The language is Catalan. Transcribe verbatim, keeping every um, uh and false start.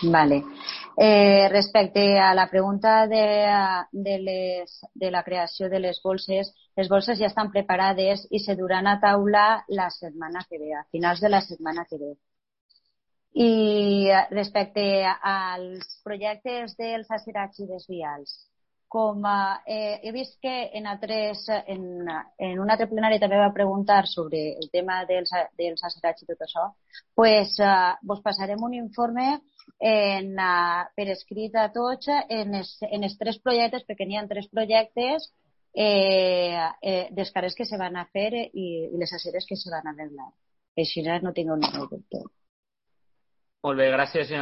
Vale. Eh, respecte a la pregunta de, de, les, de la creació de les bolses, les bolses ja estan preparades i se duran a taula la setmana que ve, a finals de la setmana que ve. I respecte als projectes dels acerats i desvials, com eh, he vist que en, altres, en, en un altre plenari també va preguntar sobre el tema dels, dels acerats i tot això, pues, eh, vos passarem un informe en, uh, per escrit a tots en els, en els tres projectes, perquè n'hi ha tres projectes eh, eh, dels carrers que se van a fer i, i les aceres que se van a arreglar. Així no tingueu ningú dubte. Molt bé, gràcies, senyora.